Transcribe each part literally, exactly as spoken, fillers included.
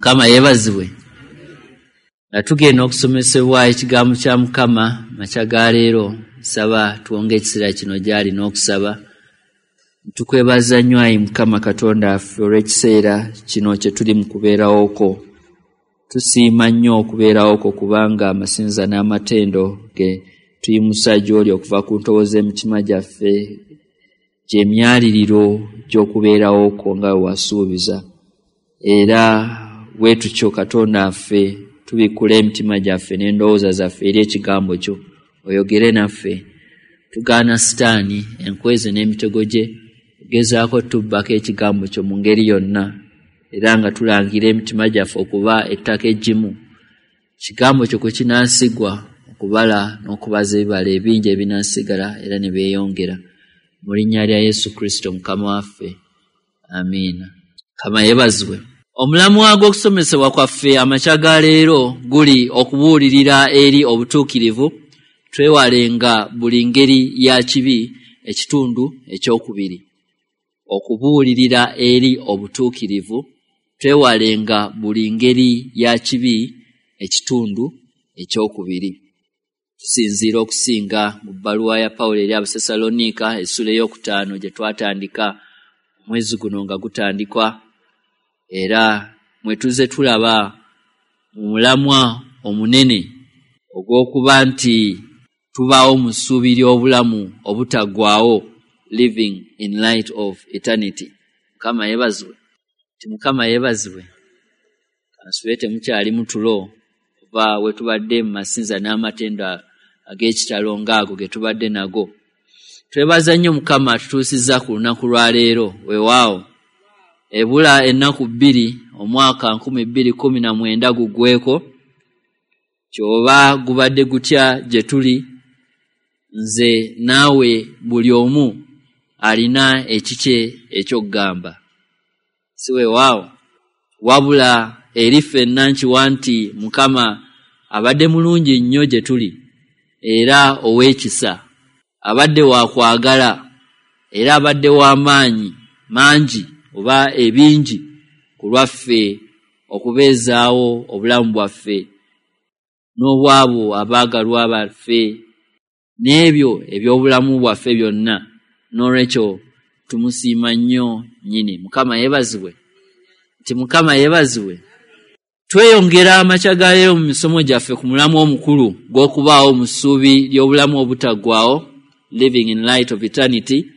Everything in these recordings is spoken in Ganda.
Mukama yeebazibwe. Nga tugenda okusomesebwa ekigambo kya Mukama makya ga leero, nsaba tuwonge ekiseera kino gy'ali n'okusaba. Tukwebaza nnyo ayi Mukama Katonda waffe olw'ekiseera kino kye tuli mu kubeerawo kwo. Tusiima nnyo okubeerawo kwo kubanga amasinza n'amatendo ge tuyimusa gy'oli okuva ku ntobo z'emitima gyaffe gy'emyaliriro gy'okubeerawo kwo nga bwe wasuubiza. Era bwe tutyo Katonda waffe tubikkula emitima gyaffe n'endowooza zaffe eri ekigambo kyo, oyogere naffe. Tugaana Sitaani enkwezi n'emitego gye gezaako tubbako ekigambo kyo mu ngeri yonna, era nga tulangira emitima gyaffe okuba ettaka eggimu, kigambo kyo kwe kinaasigwa okubala n'okubaza ebibala ebingi ebinaasigala era ne byeyongera. Mu linnya lya Yesu Kristo Mukama waffe, amiina. Mukama yeebazibwe. Omulamwa gw'okusomesebwa kwaffe amakya ga leero guli okubuulirira eri obutuukirivu, twewalenga buli ngeri ya kibi, ekitundu ekyokubiri. Okubuulirira eri obutuukirivu, twewalenga buli ngeri ya kibi, ekitundu ekyokubiri. Tusinziira okusinga mu bbaluwa ya Pawulo eri Abasessaloniika essula ey'okutaano gye twatandika omwezi guno nga gutandikwa, era mwe tuzze tulaba mu mulamwa omunene ogw'okuba nti tubaawo mu ssuubi ly'obulamu obutaggwaawo, living in light of eternity. Mukama yeebazibwe. Nti Mukama yeebazibwe. Kansube temukyali mu tulo oba we tubadde mu masinza n'amatendo ag'ekitalo ng'ago ge tubadde nago. Twebaza nnyo Mukama atutuusizza ku lunaku lwa leero. Weewaawo ebula ennaku bbiri omwaka nkumi bbiri kkumi na mwenda guggweko, kyoba gubadde gutya gye tuli, nze naawe buli omu alina ekikye eky'okugamba. Si weewaawo? Wabula eri ffenna nkiwa nti Mukama abadde mulungi nnyo gye tuli era ow'ekisa, abadde wa kwagala era abadde w'amaanyi mangi oba ebingi ku lwaffe okubeezaawo obulamu bwaffe n'obwabo abaagalwa baffe n'ebyo eby'obulamu bwaffe byonna. N'olwekyo tumusiima nnyo nnyini. Mukama yeebazibwe. Nti Mukama yeebazibwe. Tweyongera amakya ga leero mu misomo gyaffe ku mulamwa omukulu gw'okubaawo mu ssuubi ly'obulamu obutaggwaawo, living in light of eternity,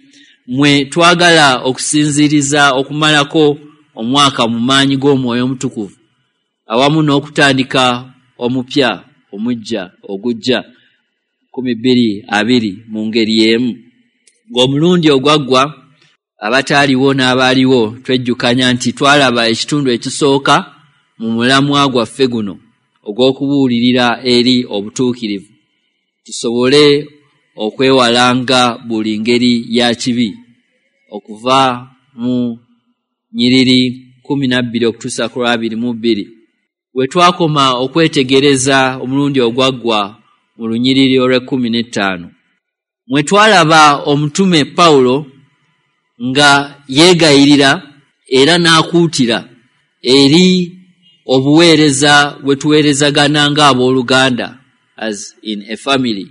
mwe twagala okusinziiriza okumalako omwaka mu maanyi g'Omwoyo Omutukuvu awamu n'okutandika omupya omujja ogujja nkumi bbiri abiri mu ngeri y'emu. Ng'omulundi ogwaggwa abataaliwo n'abaaliwo twejjukanya nti twalaba ekitundu ekisooka mu mulamwa gwaffe guno ogw'okubuulirira eri obutuukirivu, tusobole okwewalanga buli ngeri ya kibi, okuva mu nnyiriri kkumi na bbiri okutuusa ku lwabiri mu bbiri. We twakoma okwetegereza omulundi ogwaggwa mu lunyiriri olw'ekkumi n'ettaano, mwe twalaba omutume Pawulo nga yeegayirira era n'akuutira eri obuweereza bwe tuweerezagana ng'abooluganda, as in a family,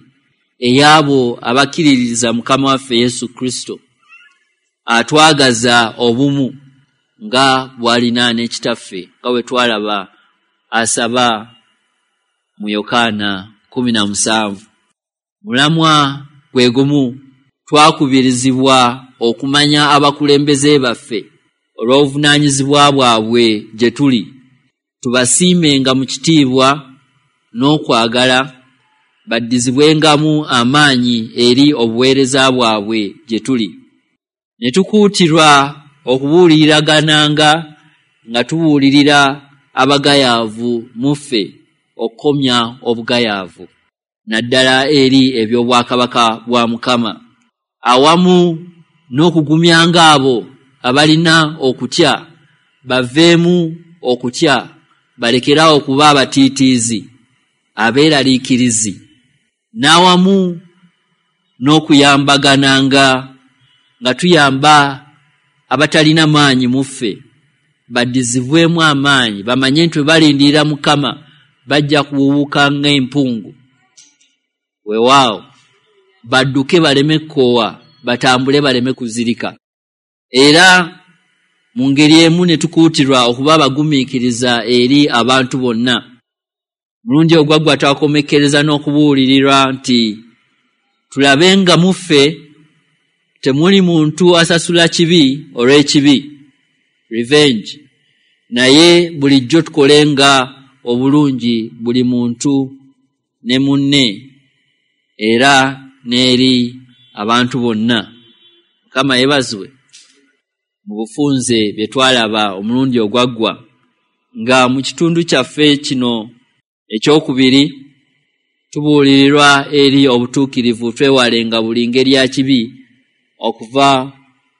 ey'abo abakkiririza Mukama waffe Yesu Kristo, atwagaza obumu nga bw'alina ne Kitaffe, nga bwe twalaba asaba mu Yokaana kkumi na musanvu. Mulamwa gwe gumu twakubirizibwa okumanya abakulembeze baffe olw'obuvunaanyizibwa bwabwe gye tuli, tubasiimenga mu kitiibwa n'okwagala, baddizibwengamu amaanyi eri obuweereza bwabwe gye tuli. Ne tukuutirwa okubuuliragananga nga tubuulirira abagayaavu mu ffe okukomya obugayaavu, naddala eri eby'obwakabaka bwa Mukama, awamu n'okugumyanga abo abalina okutya baveemu okutya, balekerawo okuba abatiitiizi abeeraliikirizi, n'awamu n'okuyambagananga nga tuyamba abatalina maanyi mu ffe baddizibwemu amaanyi, bamanye nti bwe balindirira Mukama bajja kuwuuka ng'empungu. Weewaawo badduke baleme kkoowa, batambule baleme kuzirika. Era mu ngeri emu ne tukuutirwa okuba abagumiikiriza eri abantu bonna. Mulundi ogwaggwa twakomekkereza n'okubuulirirwa nti tulabe nga mu ffe temuli muntu asasula kibi olw'ekibi, revenge, naye bulijjo tukolenga obulungi buli muntu ne munne era n'eri abantu bonna. Mukama yeebazibwe. Mu bufunze bye twalaba omulundi ogwaggwa nga mu kitundu kyaffe kino ekyokubiri tubuulirirwa eri obutuukirivu, twewalenga buli ngeri ya kibi okuva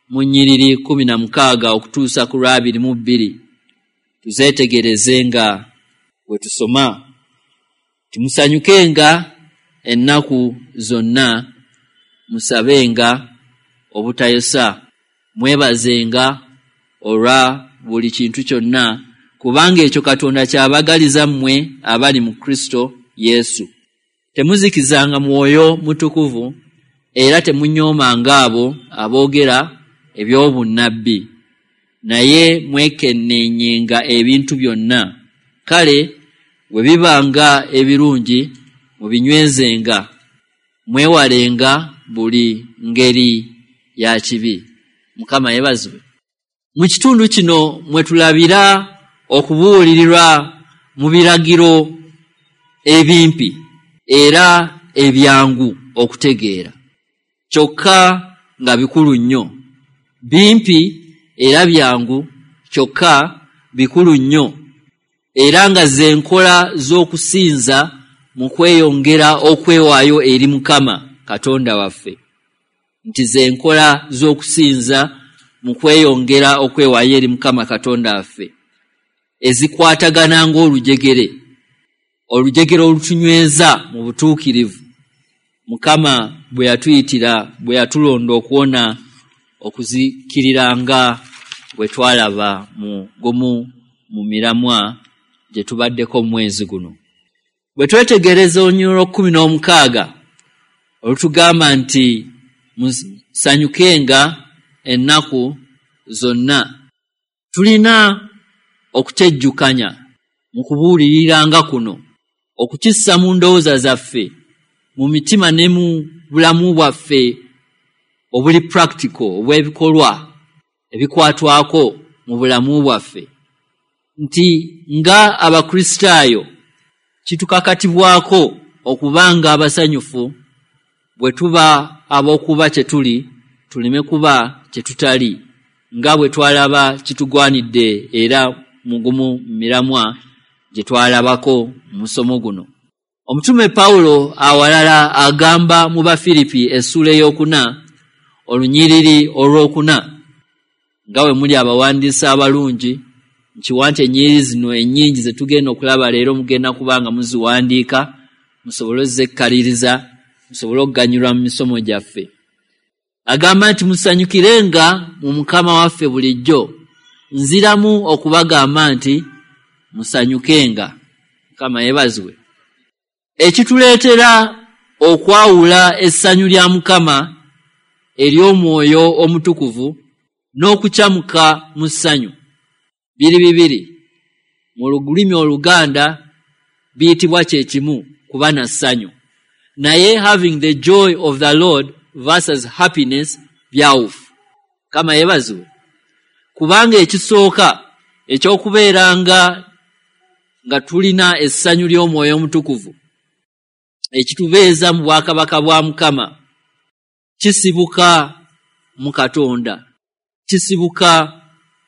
mu nnyiriri kkumi na mukaaga okutuusa ku lwabiri mu bbiri. Tuzeetegereze nga bwe tusoma. Timusanyukenga ennaku zonna, musabenga obutayosa, mwebazenga olwa buli kintu kyonna, kubanga ekyo Katonda kyabagaliza mmwe abali mu Kristo Yesu. Temuzikizanga mwoyo mutukuvu, era temunyoomanga abo aboogera eby'obunnabbi, naye mwekenneenyenga ebintu byonna. Kale bwe bibanga ebirungi mubinywezenga, mwewalenga buli ngeri ya kibi. Mukama yeebazibwe. Mu kitundu kino mwe tulabira okubuulirirwa mu biragiro ebimpi era ebyangu okutegeera, kyokka nga bikulu nnyo. Bimpi era byangu, kyokka bikulu nnyo, era nga ze nkola z'okusinza mu kweyongera okwewaayo eri Mukama Katonda waffe. Nti ze nkola z'okusinza mu kweyongera okwewaayo eri Mukama Katonda waffe, ezikwatagana ng'olujegere, olujegere olutunyweza mu butuukirivu Mukama bwe yatuyitira, bwe yatulonda okuwona okuzikirira nga bwe twalaba mu gumu mu miramwa gye tubaddeko mu mwezi guno. Bwe twetegereza olunyiriri lw'ekkumi n'omukaaga olutugamba nti musanyukenga ennaku zonna, tulina okutejjukanya mu kubuuliriranga kuno, okukissa mu ndowooza zaffe, mu mitima ne mu bulamu bwaffe obuli practical, obw'ebikolwa ebikwatwako mu bulamu bwaffe, nti nga Abakristaayo kitukakatibwako okubanga abasanyufu bwe tuba ab'okuba kye tuli, tuleme kuba kye tutali, nga bwe twalaba kitugwanidde era mu gumu miramwa gye twalabako mu musomo guno. Omutume Pawulo awalala agamba mu Bafiripi essuula ey'okuna olunyiriri olwokuna, nga bwe muli abawandiisi abalungi, nkiwa nti ennyiriri zino ennyingi ze tugenda okulaba leero mugenda kuba nga muziwandiika, musobole ozekkaliriza, musobole okuganyulwa mu misomo gyaffe. Agamba nti musanyukirenga mu Mukama waffe bulijjo. Nziramu okubagamba nti musanyukenga. Mukama yeebazibwe. Ekituleetera okwawula essanyu lya Mukama ery'omwoyo omutukuvu n'okukyamuka mu ssanyu biri bibiri. Mu lulimi Oluganda biyitibwa kye kimu, kuba na ssanyu, naye having the joy of the Lord versus happiness byawufu. Mukama yeebazibwe. Kubanga ekisooka ekyokubeeranga nga tulina essanyu ly'omwoyo omutukuvu ekitubeeza mu bwakabaka bwa Mukama kisibuka mu Katonda, kisibuka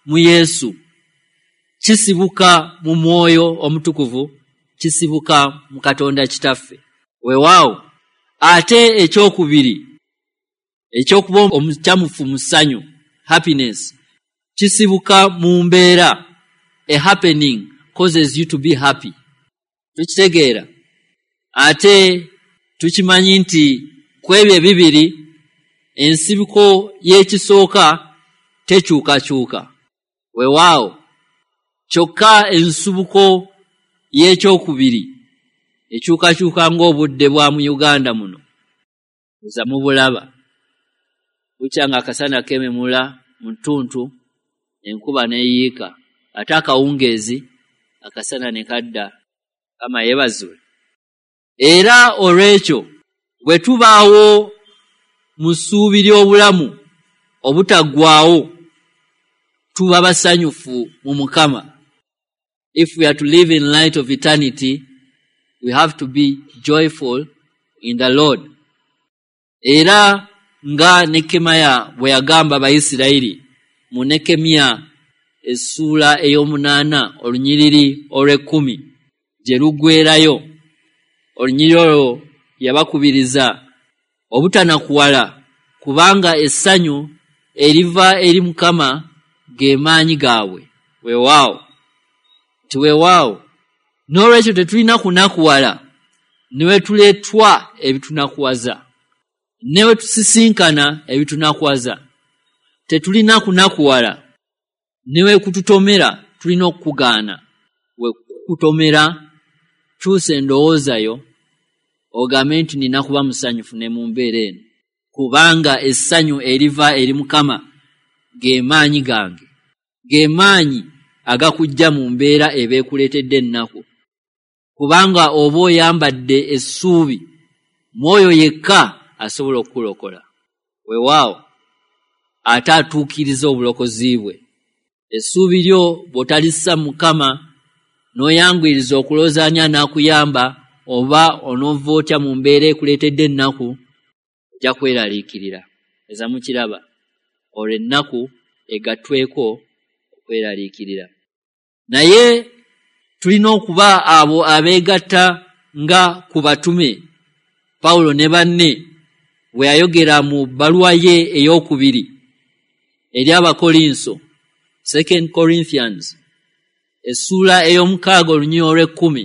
mu Yesu, kisibuka mu mwoyo omutukuvu, kisibuka mu Katonda Kitaffe. Weewaawo ate ekyokubiri ekyokuba omukyamufu mu ssanyu, happiness, kisibuka mu mbeera. A happening causes you to be happy. Tukitegeera ate tukimanyi nti ku ebyo ebibiri ensibuko y'ekisooka tekyukakyuka. Weewaawo Kyokka ensibuko y'ekyokubiri ekyukakyuka ng'obudde bwa mu Uganda muno, oza mubulaba bukya nga akasana keememula mu ttuntu, enkuba n'eyiika, ate akawungeezi akasana ne kadda. Mukama yeebazibwe. Era olw'ekyo bwe tubaawo mu ssuubi ly'obulamu obutaggwaawo, tuba basanyufu mu Mukama. If we are to live in light of eternity, we have to be joyful in the Lord. Era nga Nekkemiya bwe yagamba Abayisirayiri mu Nekkemiya essuula ey'omunaana olunyiriri olw'ekkumi gye luggweerayo, olunyiriri olwo yabakubiriza obutanakuwala, kubanga essanyu eriva eri Mukama ge maanyi gaabwe. Weewaawo nti weewaawo. N'olwekyo tetulina kunakuwala ne we tuleetwa ebitunakuwaza, ne we tusisinkana ebitunakuwaza. Tetulina kunakuwala ne we kututomera, tulina okukugaana. We kukutomera, kyusa endowooza yo ogambe nti nina kuba musanyufu ne mu mbeera eno, kubanga essanyu eriva eri Mukama ge maanyi gange, ge maanyi agakujja mu mbeera eba ekuleetedde ennaku, kubanga oba oyambadde essuubi mwoyo yekka asobola okukulokola. Weewaawo ate atuukiriza obulokozi bwe. Essuubi lyo bw'otalissa Mukama n'oyanguyiriza okulowooza ani anaakuyamba oba onoova otya mu mbeera ekuleetedde ennaku, ojja kweraliikirira. Eza mukiraba, olwo ennaku egattweko okweraliikirira. Naye tulina okuba abo abeegatta nga ku batume Pawulo ne banne bwe yayogera mu bbaluwa ye ey'okubiri eri Abakolinso, Second Corinthians, essuula ey'omukaaga olunyiriri olw'ekkumi,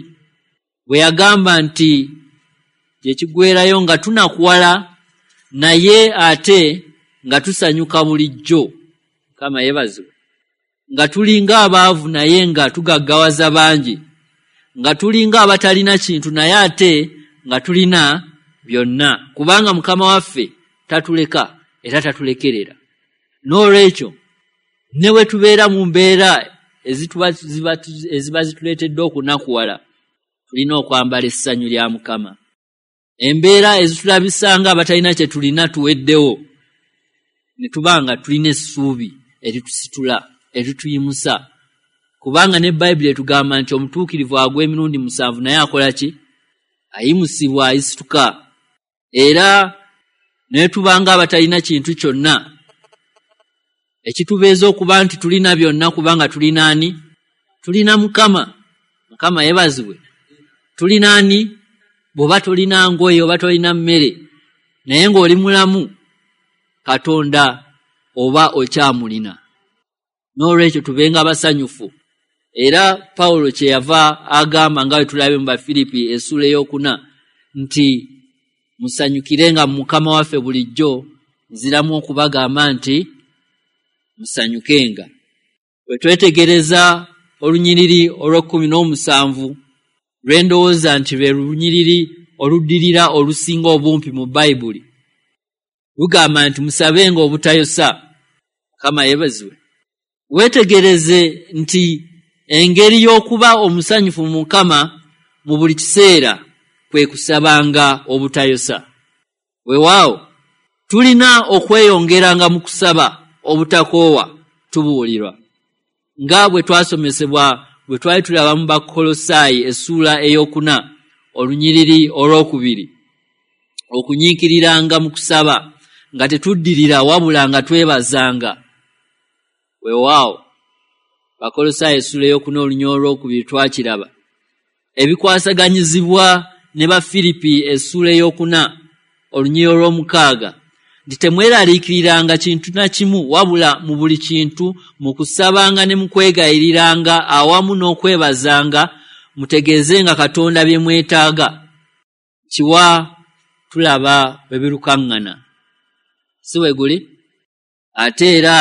bwe yagamba nti gye kiggweerayo nga tunakuwala naye ate nga tusanyuka bulijjo. Mukama yeebazibwe. Nga tulinga abaavu naye nga tugaggawaza bangi, nga tulinga abatalina kintu naye ate nga tulina byonna, kubanga Mukama waffe tatuleka era tatulekerera. N'olwekyo ne bwe tubeera mu mbeera eziba zituleetedde okunakuwala, tulina okwambala essanyu lya Mukama. Embeera ezitulabisa nga abatalina kye tulina tuweddewo, ne tuba nga tulina essuubi eritusitula, erituyimusa, kubanga ne Bayibuli etugamba nti omutuukirivu agwa emirundi musanvu naye akola ki? Ayimusibwa, ayisituka. Era ne tuba nga abatalina kintu kyonna, ekitubeeza okuba nti tulina byonna, kubanga tulina ani? Tulina Mukama. Mukama yeebazibwe. Tulina ani? Bw'oba tolina ngoye oba tolina mmere naye ng'oli mulamu, Katonda oba okyamulina. N'olwekyo tubenga abasanyufu. Era Pawulo kye yava agamba nga bwe tulabye mu Bafiripi essuula ey'okuna nti musanyukirenga mu Mukama waffe bulijjo, nziramu okubagamba nti musanyukenga. Bwe twetegereza olunyiriri olw'ekkumi n'omusanvu lwe ndowooza nti lwe lunyiriri oluddirira olusinga obumpi mu Bayibuli, lugamba nti musabenga obutayosa. Mukama yeebazibwe. Weetegereze nti engeri y'okuba omusanyufu mu Mukama mu buli kiseera kwe kusabanga obutayosa. Weewaawo tulina okweyongeranga mu kusaba obutakoowa tubuulirwa, nga bwe twasomesebwa bwe twali tulaba mu Bakolosaayi essuula ey'okuna olunyiriri olw'okubiri, okunyiikiriranga mu kusaba nga tetuddirira wabula nga twebazanga. Weewaawo Bakolosaayi essuula ey'okuna olunyiriri olw'okubiri twakiraba. Ebikwasaganyizibwa ne Bafiripi essuula ey'okuna olunyiriri olw'omukaaga nti temweraliikiriranga kintu na kimu, wabula mu buli kintu mu kusabanga ne mu kwegayiriranga awamu n'okwebazanga mutegeezenga Katonda bye mwetaaga. Kiwa tulaba bwe birukaŋŋana, si bwe guli? Ate era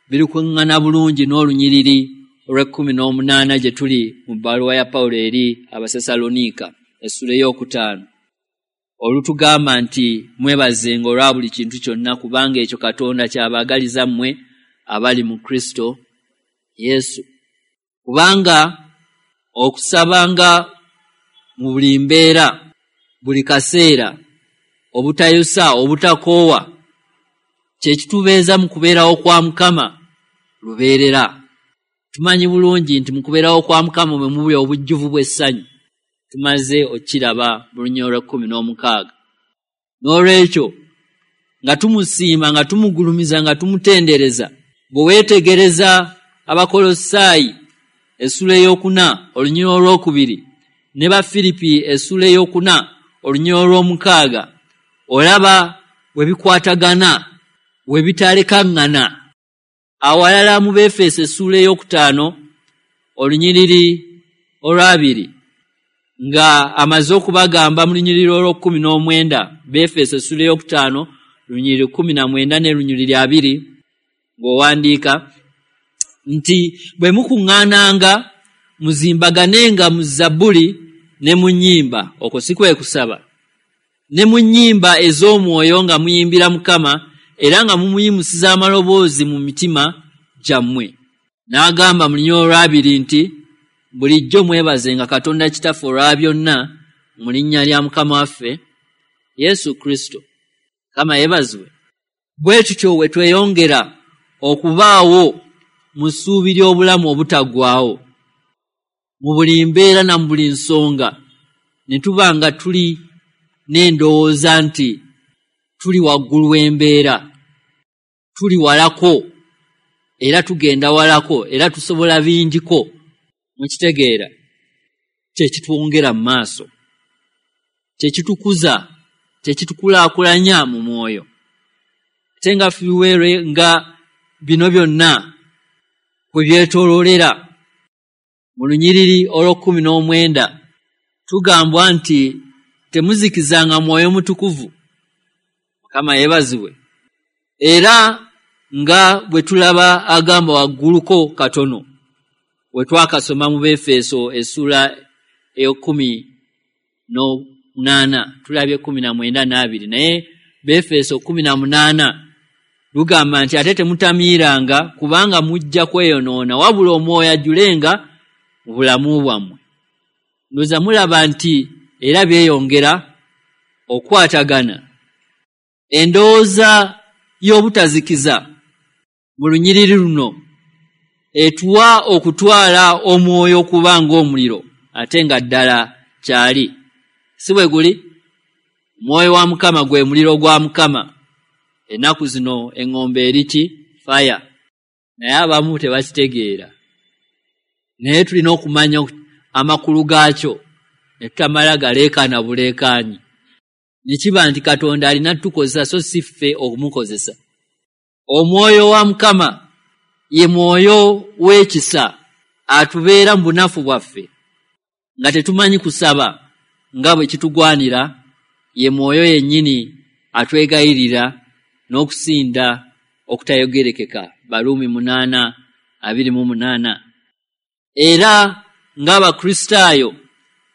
birukaŋŋana bulungi n'olunyiriri olw'ekkumi n'omunaana gye tuli mu bbaluwa ya Pawulo eri Abasessaloniika essula ey'okutaano, olutugamba nti mwebazenga olwa buli kintu kyonna, kubanga ekyo Katonda ky'abaagaliza mmwe abali mu Kristo Yesu. Kubanga okusabanga mu buli mbeera, buli kaseera, obutayosa, obutakoowa, kye kitubeeza mu kubeerawo kwa Mukama lubeerera. Tumanyi bulungi nti mu kubeerawo kwa Mukama mwe muli obujjuvu bw'essanyu. Tumaze okukiraba mu lunyiriri olw'ekkumi n'omukaaga. N'olwekyo nga tumusiima, nga tumugulumiza, nga tumutendereza, bwe weetegereza Abakolosaayi essula ey'okuna olunyiriri olwokubiri ne Bafiripi essula ey'okuna olunyiriri olw'omukaaga, olaba we bikwatagana, we bitalekaŋŋana. Awalala mu Beefeso essula ey'okutaano olunyiriri olwabiri, nga amaze okubagamba mu lunyiriri olw'ekkumi n'omwenda, Beefeso essula ey'okutaano lunyiriri kkumi na mwenda ne lunyiriri abiri, ng'owandiika nti bwe mukuŋŋaananga muzimbaganenga mu zabbuli ne mu nnyimba, okwo si kwe kusaba, ne mu nnyimba ez'omwoyo nga muyimbira Mukama era nga mumuyimusiza amaloboozi mu mitima gyammwe. N'agamba mu lunyiriri olwabiri nti bulijjo mwebazenga Katonda Kitaffe olwa byonna mu linnya lya Mukama waffe Yesu Kristo. Mukama yeebazibwe. Bwe tutyo we tweyongera okubaawo mu ssuubi ly'obulamu obutaggwaawo mu buli mbeera na mu buli nsonga, ne tuba nga tuli n'endowooza nti tuli waggulu w'embeera, tuli walako era tugenda walako era tusobola bingiko. Mukitegeera? Kye kitwongera mu maaso, kye kitukuza, kye kitukulaakulanya mu mwoyo. Ate nga fiweere nga bino byonna kwe byetooloolera. Mu lunyiriri olw'ekkumi n'omwenda tugambwa nti temuzikizanga mwoyo mutukuvu. Mukama yeebazibwe. Era nga bwe tulaba agamba wagguluko katono we twakasoma mu Befeso essula ey'ekkumi n'omunaana, tulabye kkumi na mwenda n'abiri, naye Befeso kkumi na munaana lugamba nti ate temutamiiranga kubanga mujja kweyonoona, wabula omwoyo ajjulenga mu bulamu bwammwe. Ndowooza mulaba nti era byeyongera okukwatagana. Endowooza y'obutazikiza mu lunyiriri luno etuwa okutwala omwoyo okuba ng'omuliro, ate nga ddala kyali. Si bwe guli? Omwoyo wa Mukama gwe muliro gwa Mukama. Ennaku zino eŋŋombe eri ki? Fire. Naye abamu tebakitegeera. Naye tulina okumanya amakulu gaakyo ne tutamala galeekaana buleekaanyi. Ne kiba nti Katonda alina tukozesa so si ffe okumukozesa. Omwoyo wa Mukama ye mwoyo w'ekisa atubeera mu bunafu bwaffe nga tetumanyi kusaba nga bwe kitugwanira. Ye mwoyo yennyini atwegayirira n'okusinda okutayogerekeka. Baruumi munaana abiri mu munaana. Era ng'Abakristaayo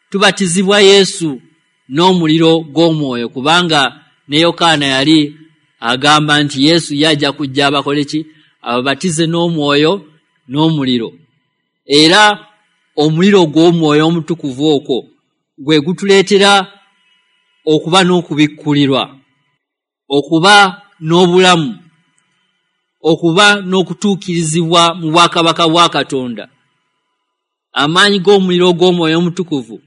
tubatizibwa Yesu n'omuliro gw'omwoyo, kubanga ne Yokaana yali agamba nti Yesu yajja kujja abakole ki? Ababatize n'omwoyo n'omuliro. Era omuliro gw'omwoyo omutukuvu okwo gwe gutuleetera okuba n'okubikkulirwa, okuba n'obulamu, okuba n'okutuukirizibwa mu bwakabaka bwa Katonda. Amaanyi g'omuliro gw'omwoyo omutukuvu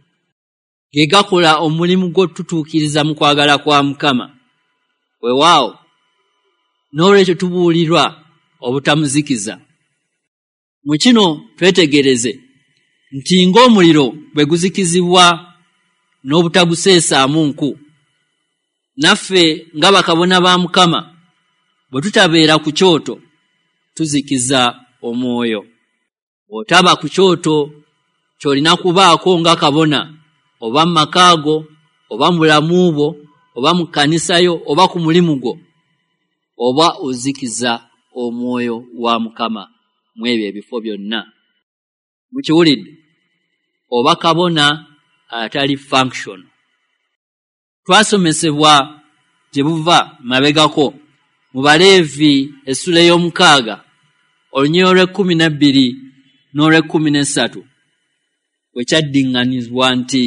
ge gakola omulimu gw'otutuukiriza mu kwagala kwa Mukama. Weewaawo, n'olwekyo tubuulirwa obutamuzikiza. Mu kino twetegereze nti ng'omuliro bwe guzikizibwa n'obutaguseesaamu nku, naffe nga bakabona ba Mukama bwe tutabeera ku kyoto tuzikiza omwoyo. Bw'otaba ku kyoto ky'olina kubaako nga kabona, oba mu maka go, oba mu bulamu bwo, oba mu kkanisa yo, oba ku mulimu gwo, oba ozikiza omwoyo wa Mukama mu ebyo ebifo byonna. Mukiwulidde? Oba kabona atali function. Twasomesebwa gye buva mabegako mu Baleevi essula ey'omukaaga olunyiriri olw'ekkumi n'ebbiri n'olw'ekkumi n'essatu, bwe kyaddiŋŋanizibwa nti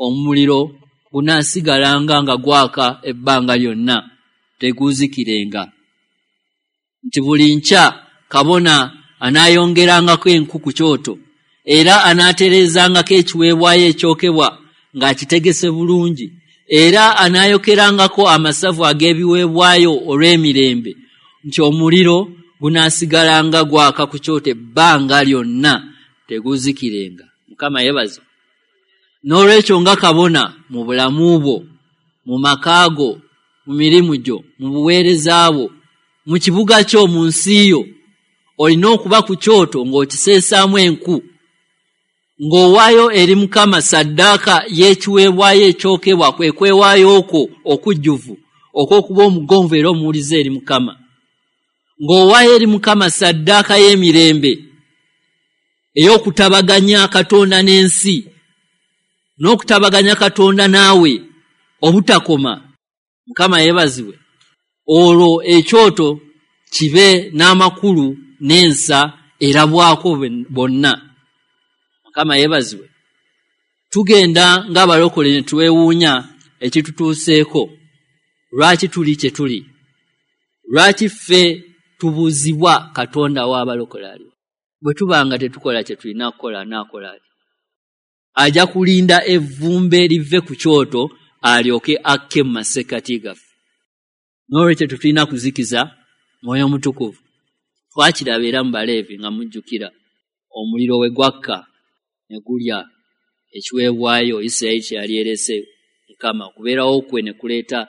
omuliro gunaasigalanga nga gwaka ebbanga lyonna, teguzikirenga, nti buli nkya kabona anaayongerangako enku ku kyoto, era anaatereezangako ekiweebwayo ekyokebwa ng'akitegese bulungi, era anaayokerangako amasavu ag'ebiweebwayo olw'emirembe, nti omuliro gunaasigalanga gwaka ku kyoto ebbanga lyonna, teguzikirenga. Mukama yeebaze. N'olwekyo nga kabona mu bulamu bwo, mu maka go, mu mirimu gyo, mu buweereza bwo, mu kibuga kyo, mu nsi yo, olina okuba ku kyoto ng'okiseesaamu enku, ng'owaayo eri Mukama ssaddaaka y'ekiweebwayo ekyokebwa, kwe kwewaayo okwo okujjuvu okw'okuba omugonvu era omuwulize eri Mukama, ng'owaayo eri Mukama ssaddaaka y'emirembe ey'okutabaganya Katonda n'ensi, n'okutabaganya Katonda naawe obutakoma. Mukama yeebazibwe. Olwo ekyoto kibe n'amakulu n'ensa erabwako bonna. Mukama yeebazibwe. Tugenda ng'abalokole ne twewuunya ekitutuuseeko. Lwaki tuli kye tuli? Lwaki ffe tubuuzibwa Katonda w'abalokole aliwa? Bwe tuba nga tetukola kye tulina kukola, anaakola atya? Ajja kulinda evvumbe live ku kyoto alyoke akke mu masekkati gaffe. N'olwekyo tetulina kuzikiza Mwoyo Mutukuvu. Twakiraba era mu Baleevi nga mujjukira omuliro we gwakka ne gulya ekiweebwayo Isirayiri kye yali erese Mukama, okubeerawo kwe ne kuleeta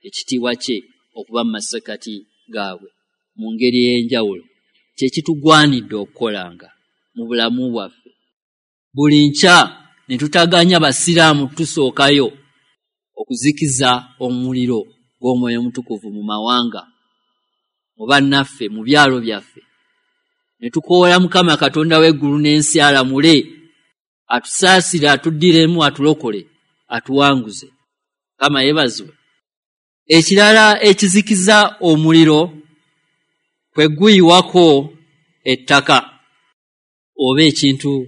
ekitiibwa kye okuba mu masekkati gaabwe mu ngeri ey'enjawulo. Kye kitugwanidde okukolanga mu bulamu bwaffe. Buli nkya ne tutaganya basiraamu tusookayo okuzikiza omuliro gw'Omwoyo Omutukuvu mu mawanga, mu bannaffe, mu byalo byaffe. Ne tukoola Mukama Katonda w'eggulu n'ensi alamule, atusaasire, atuddiremu, atulokole, atuwanguze. Mukama yeebazibwe. Ekirala ekizikiza omuliro kwe guyiwako ettaka oba ekintu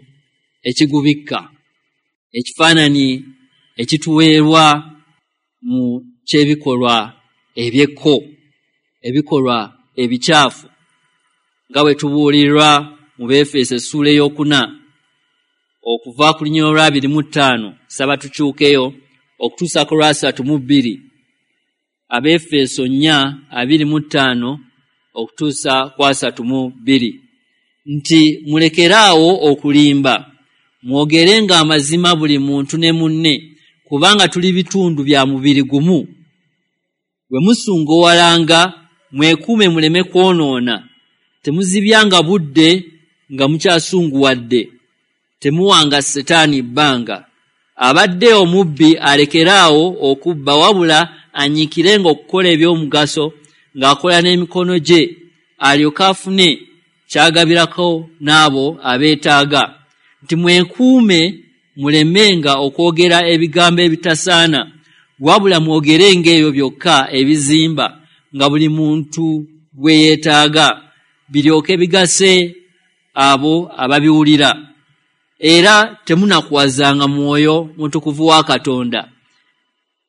ekigubikka. Ekifaananyi ekituweerwa mu ky'ebikolwa eby'ekko, ebikolwa ebikyafu, nga bwe tubuulirwa mu Beefeso essuula ey'okuna okuva ku lunyiriri olw'abiri mu ttaano, saba tukyukeyo okutuusa ku lwasatu mu bbiri. Abeefeso nnya abiri mu ttaano okutuusa ku asatu mu bbiri, nti mulekeraawo okulimba, mwogerenga amazima buli muntu ne munne, kubanga tuli bitundu bya mubiri gumu. Bwe musungowalanga mwekuume muleme kwonoona, temuzibyanga budde nga mukyasunguwadde, temuwanga Setaani bbanga. Abadde omubbi alekeraawo okubba, wabula anyiikirenga okukola eby'omugaso ng'akola n'emikono gye, alyoke afune ky'agabirako n'abo abeetaaga. Nti mwekuume mulemenga okwogera ebigambo ebitasaana, wabula mwogerenga ebyo byokka ebizimba nga buli muntu bwe yeetaaga, biryoke bigase abo ababiwulira. Era temunakuwazanga Mwoyo Mutukuvu wa Katonda,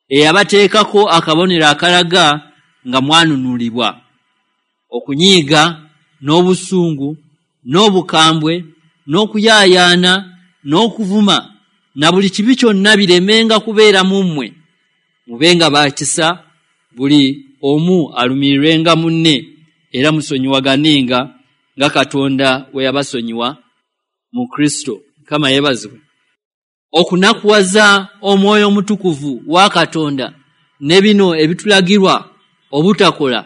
eyabateekako akabonero akalaga nga mwanunulibwa. Okunyiiga n'obusungu n'obukambwe n'okuyaayaana n'okuvuma na buli kibi kyonna biremenga kubeera mu mmwe. Mubenga ba kisa, buli omu alumirirwenga munne, era musonyiwaganenga nga Katonda bwe yabasonyiwa mu Kristo. Mukama yeebazibwe. Okunakuwaza Omwoyo Omutukuvu wa Katonda ne bino ebitulagirwa obutakola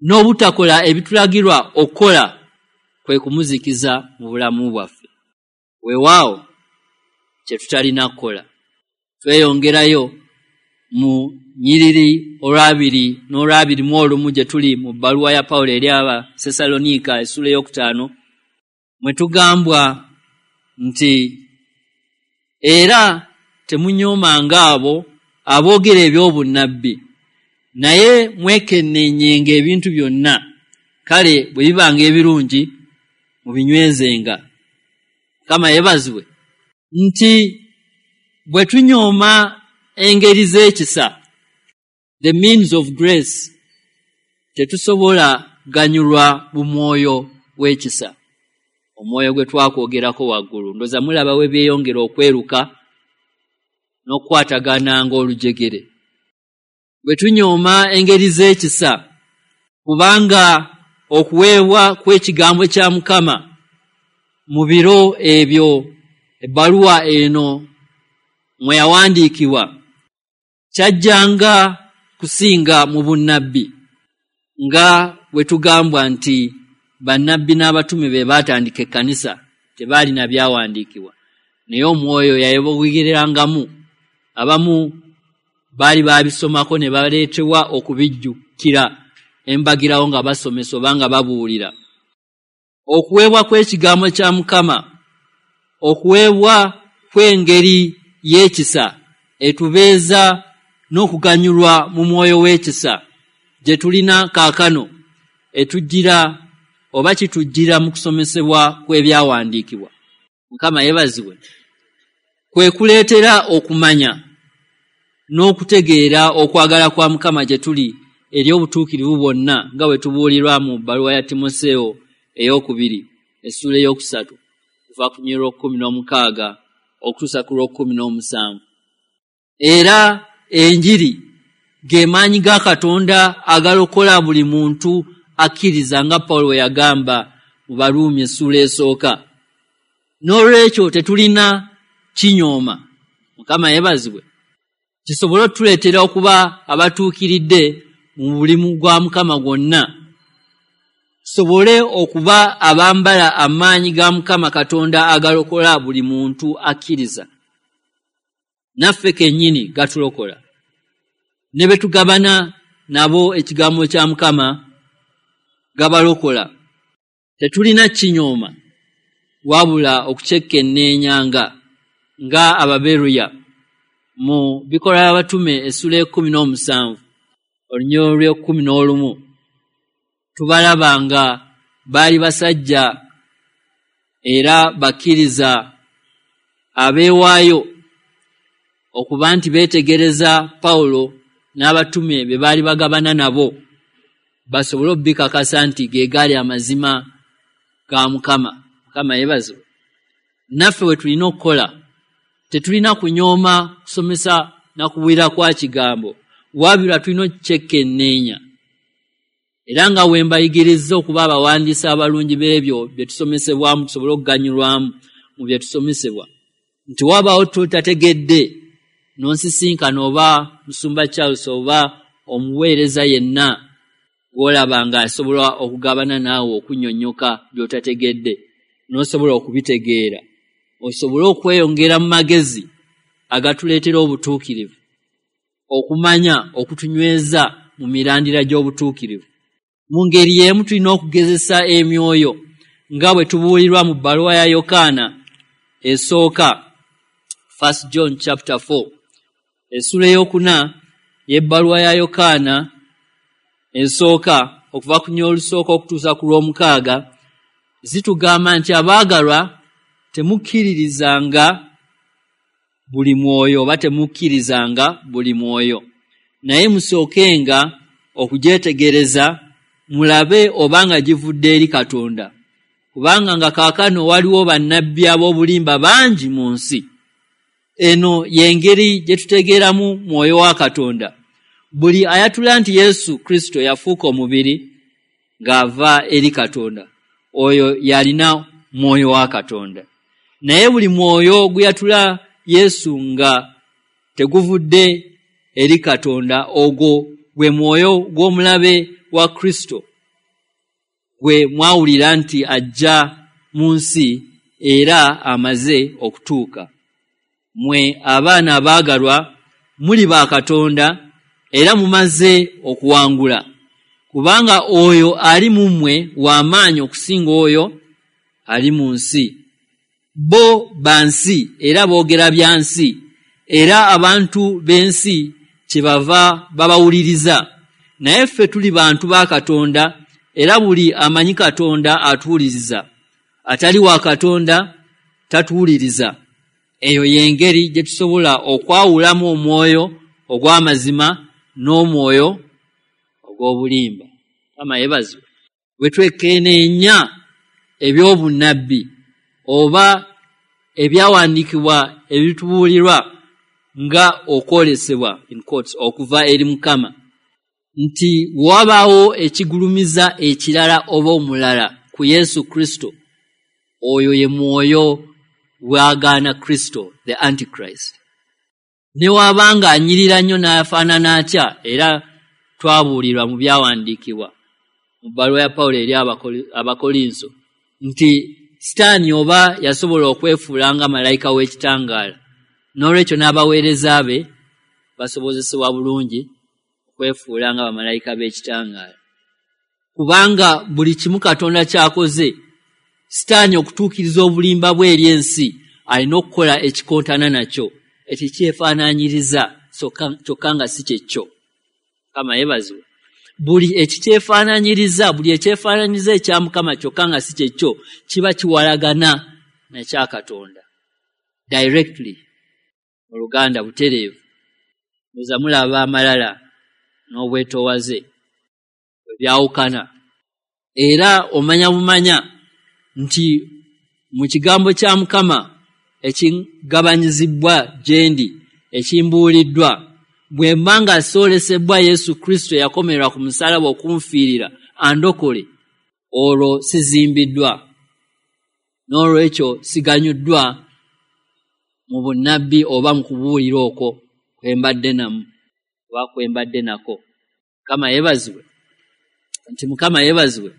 n'obutakola ebitulagirwa okukola kwe kumuzikiza mu bulamu bwaffe. Weewaawo kye tutalina kukola. Tweyongerayo mu nnyiriri olw'abiri n'olw'abiri mu olumu gye tuli mu bbaluwa ya Pawulo eri Abasessaloniika essuula ey'okutaano, mwe tugambwa nti era temunyoomanga abo aboogera eby'obunnabbi, naye mwekenneenyenga ebintu byonna, kale bwe bibanga ebirungi mubinywezenga. Mukama yeebazibwe nti bwe tunyooma engeri z'ekisa, the means of grace, tetusobola ganyulwa mu mwoyo w'ekisa, omwoyo gwe twakwogerako waggulu. Ndowooza mulaba we byeyongera okweruka n'okukwatagana ng'olujegere. Bwe tunyooma engeri z'ekisa, kubanga okuweebwa kw'ekigambo kya Mukama mu biro ebyo ebbaluwa eno mwe yawandiikibwa kyajjanga kusinga mu bunnabbi, nga bwe tugambwa nti bannabbi n'abatume be baatandika ekkanisa tebaalina byawandiikibwa, naye omwoyo yayebogerangamu. Abamu baali baabisomako ne baleetebwa okubijjukira embagirawo nga basomesa oba nga babuulira. Okuweebwa kw'ekigambo kya Mukama, okuweebwa kw'engeri y'ekisa etubeeza n'okuganyulwa mu mwoyo w'ekisa gye tulina kaakano, etujjira oba kitujjira mu kusomesebwa kw'ebyawandiikibwa. Mukama yeebazibwe. Kwe kuleetera okumanya n'okutegeera okwagala kwa Mukama gye tuli eri obutuukirivu bwonna, nga bwe tubuulirwa mu bbaluwa ya Timoseewo ey'okubiri essuula ey'okusatu kuva ku lunyiriri lw'okkumi n'omukaaga okutuusa ku lw'okkumi n'omusanvu. Era enjiri ge maanyi ga Katonda agalokola buli muntu akkiriza, nga Pawulo bwe yagamba mu Baruumi essuula esooka. N'olwekyo tetulina kinyooma. Mukama yeebazibwe. Kisobole otuleetera okuba abatuukiridde mu mulimu gwa Mukama gwonna, tusobole okuba abambala amaanyi ga Mukama Katonda agalokola buli muntu akkiriza. Naffe kennyini gatulokola, ne be tugabana nabo ekigambo kya Mukama gabalokola. Tetulina kinyooma wabula okukyekenneenyanga nga Ababeruya mu Bikolwa by'Abatume essuula ekkumi n'omusanvu olunyiriri lw'ekkumi n'olumu tubalaba nga baali basajja era bakkiriza abeewaayo okuba nti beetegereza Pawulo n'abatume be baali bagabana nabo, basobole okubikakasa nti ge gaali amazima ga Mukama. Mukama yeebazibwe. Naffe we tulina okukola, tetulina kunyooma kusomesa na kubuulira kwa kigambo, wabula tulina okukyekenneenya. Era nga we mbayigirizza okuba abawandiisi abalungi b'ebyo bye tusomesebwamu, tusobole okuganyulwamu mu bye tusomesebwa, nti wabaawo tutategedde n'onsisinkana oba Musumba Charles oba omuweereza yenna gw'olaba ng'asobola okugabana naawe okunnyonnyoka by'otategedde, n'osobola okubitegeera, osobole okweyongera mu magezi agatuleetera obutuukirivu, okumanya okutunyweza mu mirandira gy'obutuukirivu. Mu ngeri y'emu tulina okugezesa emyoyo nga bwe tubuulirwa mu bbaluwa ya Yokaana esooka, First John chapter four, essuula ey'okuna y'ebbaluwa ya Yokaana esooka okuva ku lunyiriri olusooka okutuusa ku lw'omukaaga, zitugamba nti abaagalwa temukkiririzanga buli mwoyo oba temukkirizanga buli mwoyo, naye musookenga okugyetegereza mulabe obanga givudde eri Katonda, kubanga nga kaakano waliwo bannabbi ab'obulimba bangi mu nsi. Eno y'engeri gye tutegeeramu mwoyo wa Katonda. Buli ayatula nti Yesu Kristo yafuuka omubiri ng'ava eri Katonda, oyo yalina mwoyo wa Katonda. Naye buli mwoyo oguyatula Yesu nga teguvudde eri Katonda, ogwo gwe mwoyo gw'omulabe wa Kristo gwe mwawulira nti ajja mu nsi era amaze okutuuka. Mmwe abaana abaagalwa muli ba Katonda era mumaze okuwangula, kubanga oyo ali mu mmwe w'amaanyi okusinga oyo ali mu nsi. Bo bansi era boogera bya nsi, era abantu b'ensi kyebava babawuliriza. Naye ffe tuli bantu ba Katonda, era buli amanyi Katonda atuwuliriza. Atali wa Katonda tatuwuliriza. Eyo y'engeri gye tusobola okwawulamu omwoyo ogw'amazima n'omwoyo ogw'obulimba. Mukama yeebazibwe. Bwe twekkeneenya eby'obunnabbi oba ebyawandiikibwa ebitubuulirwa nga okwolesebwa in quotes okuva eri Mukama, nti wabaawo ekigulumiza ekirala oba omulala ku Yesu Kristo, oyo ye mwoyo bw'agaana Kristo, the Antichrist. Ne wabanga anyirira nnyo n'afaanana atya, era twabuulirwa mu byawandiikibwa mu bbaluwa ya Pawulo eri Abakolinso nti Sitaani oba yasobola okwefuula nga malayika w'ekitangaala, n'olwekyo n'abaweereza be basobozesebwa bulungi okwefuula nga bamalayika b'ekitangaala. Kubanga buli kimu Katonda ky'akoze, Sitaani okutuukiriza obulimba bwe eri ensi alina okukola ekikontana nakyo, ekikyefaanaanyiriza kyokka nga si kyekyo. Mukama yeebazibwe. Buli ekikyefaanaanyiriza, buli ekyefaanaanyiriza ekya Mukama kyokka nga si kyekyo, kiba kiwalagana nakya Katonda directly, mu Luganda butereevu. Muza mulaba amalala n'obwetoowaze bwe byawukana. Era omanya bumanya nti mu kigambo kya Mukama ekigabanyizibwa gye ndi, ekimbuuliddwa, bwe mba nga soolesebwa Yesu Kristo eyakomererwa ku musaalaba okunfiirira andokole, olwo sizimbiddwa, n'olwekyo siganyuddwa mu bunnabbi oba mu kubuulira okwo kwe mbadde namu oba kwe mbadde nako. Mukama yeebazibwe. Nti Mukama yeebazibwe.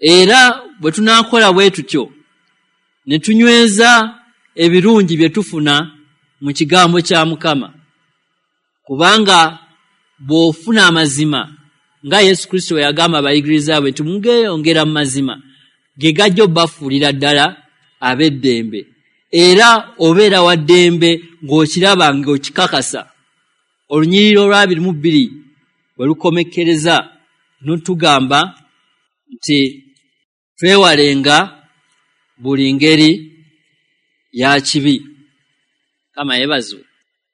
Era bwe tunaakola bwe tutyo ne tunyweza ebirungi bye tufuna mu kigambo kya Mukama, kubanga bw'ofuna amazima nga Yesu Kristo bwe yagamba abayigiriza be nti mugeyongera mu mazima, ge gajja obbafuulira ddala ab'eddembe. Era obeera wa ddembe ng'okiraba ng'okikakasa. Olunyiriri olw'abiri mu bbiri bwe lukomekkereza n'otugamba nti twewalenga buli ngeri ya kibi. Mukama yeebazibwe.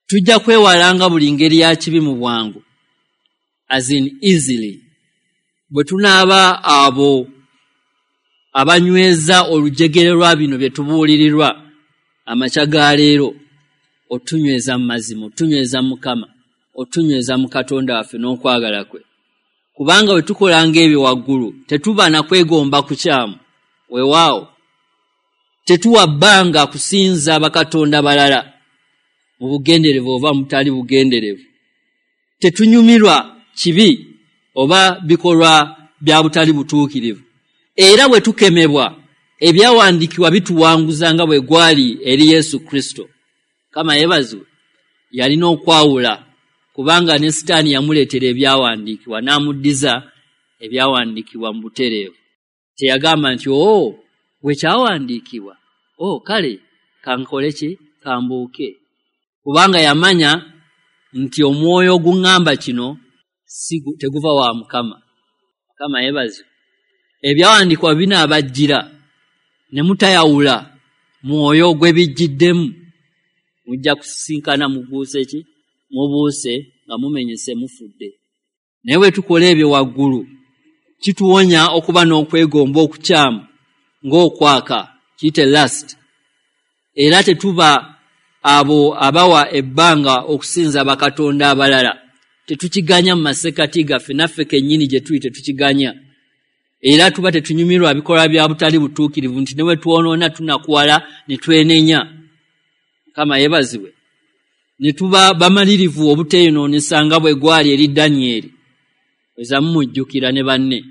Tujja kwewalanga buli ngeri ya kibi mu bwangu, as in easily, bwe tunaaba abo abanyweza olujegere lwa bino bye tubuulirirwa amakya ga leero. Otunyweza mu mazima, otunyweza mu Mukama, otunyweza mu Katonda waffe n'okwagala kwe. Kubanga bwe tukolanga ebyo waggulu tetuba na kwegomba kukyamu. Weewaawo tetuwa bbanga kusinza bakatonda balala mu bugenderevu oba mutali bugenderevu. Tetunyumirwa kibi oba bikolwa bya butali butuukirivu. Era bwe tukemebwa, ebyawandiikibwa bituwanguza nga bwe gwali eri Yesu Kristo. Mukama yeebazibwe. Yalina okwawula, kubanga ne Sitaani yamuleetera ebyawandiikibwa n'amuddiza ebyawandiikibwa mu butereevu. Teyagamba nti oo bwe kyawandiikibwa, oo kale kankole ki, kambuuke. Kubanga yamanya nti omwoyo oguŋŋamba kino si teguva wa Mukama. Mukama yeebazibwe. Ebyawandiikibwa binaabajjira ne mutayawula mwoyo gwe bijjiddemu, mujja kusisinkana mubuuse ki, mubuuse nga mumenyese mufudde. Naye bwe tukola ebyo waggulu kituwonya okuba n'okwegomba okukyamu ng'okwaka, kiyite lust. Era tetuba abo abawa ebbanga okusinza bakatonda abalala. Tetukiganya mu masekkati gaffe, naffe kennyini gye tuli tetukiganya. Era tuba tetunyumirwa bikolwa bya butali butuukirivu nti ne bwe twonoona tunakuwala ne twenenya. Mukama yeebazibwe. Ne tuba bamalirivu obuteeyonoonesa nga bwe gwali eri Danyeri, weza mumujjukira ne banne.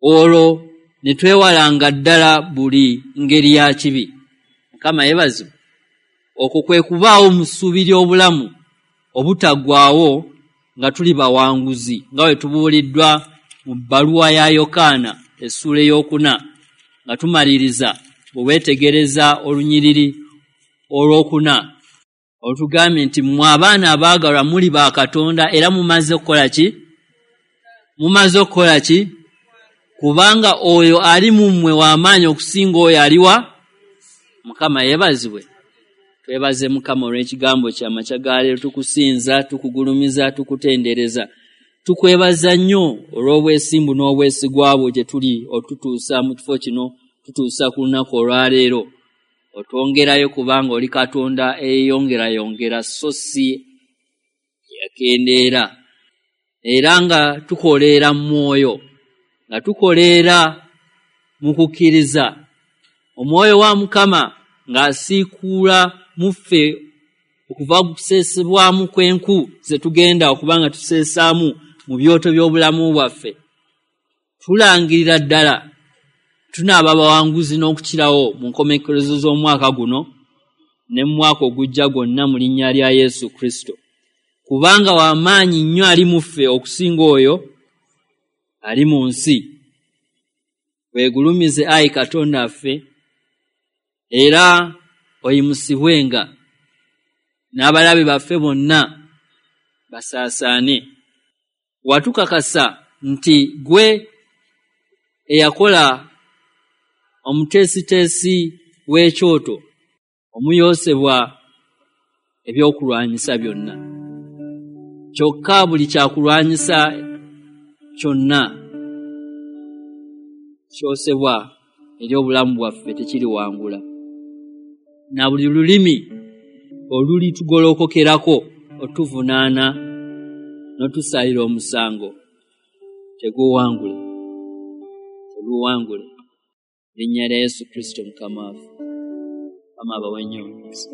Olwo ne twewalanga ddala buli ngeri ya kibi. Mukama yeebazibwe. Okwo kwe kubaawo mu ssuubi ly'obulamu obutaggwaawo nga tuli bawanguzi, nga bwe tubuuliddwa mu bbaluwa ya Yokaana essuula ey'okuna, nga tumaliriza Bwe weetegereza olunyiriri olwokuna olutugambye nti mmwe abaana abaagalwa muli ba Katonda era mumaze okukola ki? Mumaze okukola ki? Kubanga oyo ali mu mmwe w'amaanyi okusinga oyo aliwa. Mukama yeebazibwe. Twebaze Mukama olw'ekigambo kye amakya ga leero. Tukusinza, tukugulumiza, tukutendereza, tukwebaza nnyo olw'obwesimbu n'obwesigwa bwo gye tuli otutuusa mu kifo kino, tutuusa ku lunaku olwaleero. Otwongerayo kubanga oli Katonda eyeyongerayongera so si yakendeera, era nga tukoleera mu mwoyo, nga tukoleera mu kukkiriza. Omwoyo wa Mukama ng'asiikuula mu ffe okuva kuseesebwamu kw'enku ze tugenda okuba nga tuseesaamu mu byoto by'obulamu bwaffe. Tulangirira ddala tunaaba abawanguzi n'okukirawo mu nkomekkerezo z'omwaka guno ne mu mwaka ogujja gwonna mu linnya lya Yesu Kristo, kubanga w'amaanyi nnyo ali mu ffe okusinga oyo ali mu nsi. Weegulumize ayi Katonda ffe, era oyimusibwenga, n'abalabe baffe bonna basaasaane. Watukakasa nti gwe eyakola omuteesiteesi w'ekyoto omuyoosebwa ebyokulwanyisa byonna, kyokka buli kyakulwanyisa kyonna kyosebwa eri obulamu bwaffe tekiriwangula, na buli lulimi olulitugolokokerako otuvunaana n'otusalira omusango teguwangule, teguwangule. Linnya lya Yesu Kristo Mukama waffe. Mukama abawe nnyo omukisa.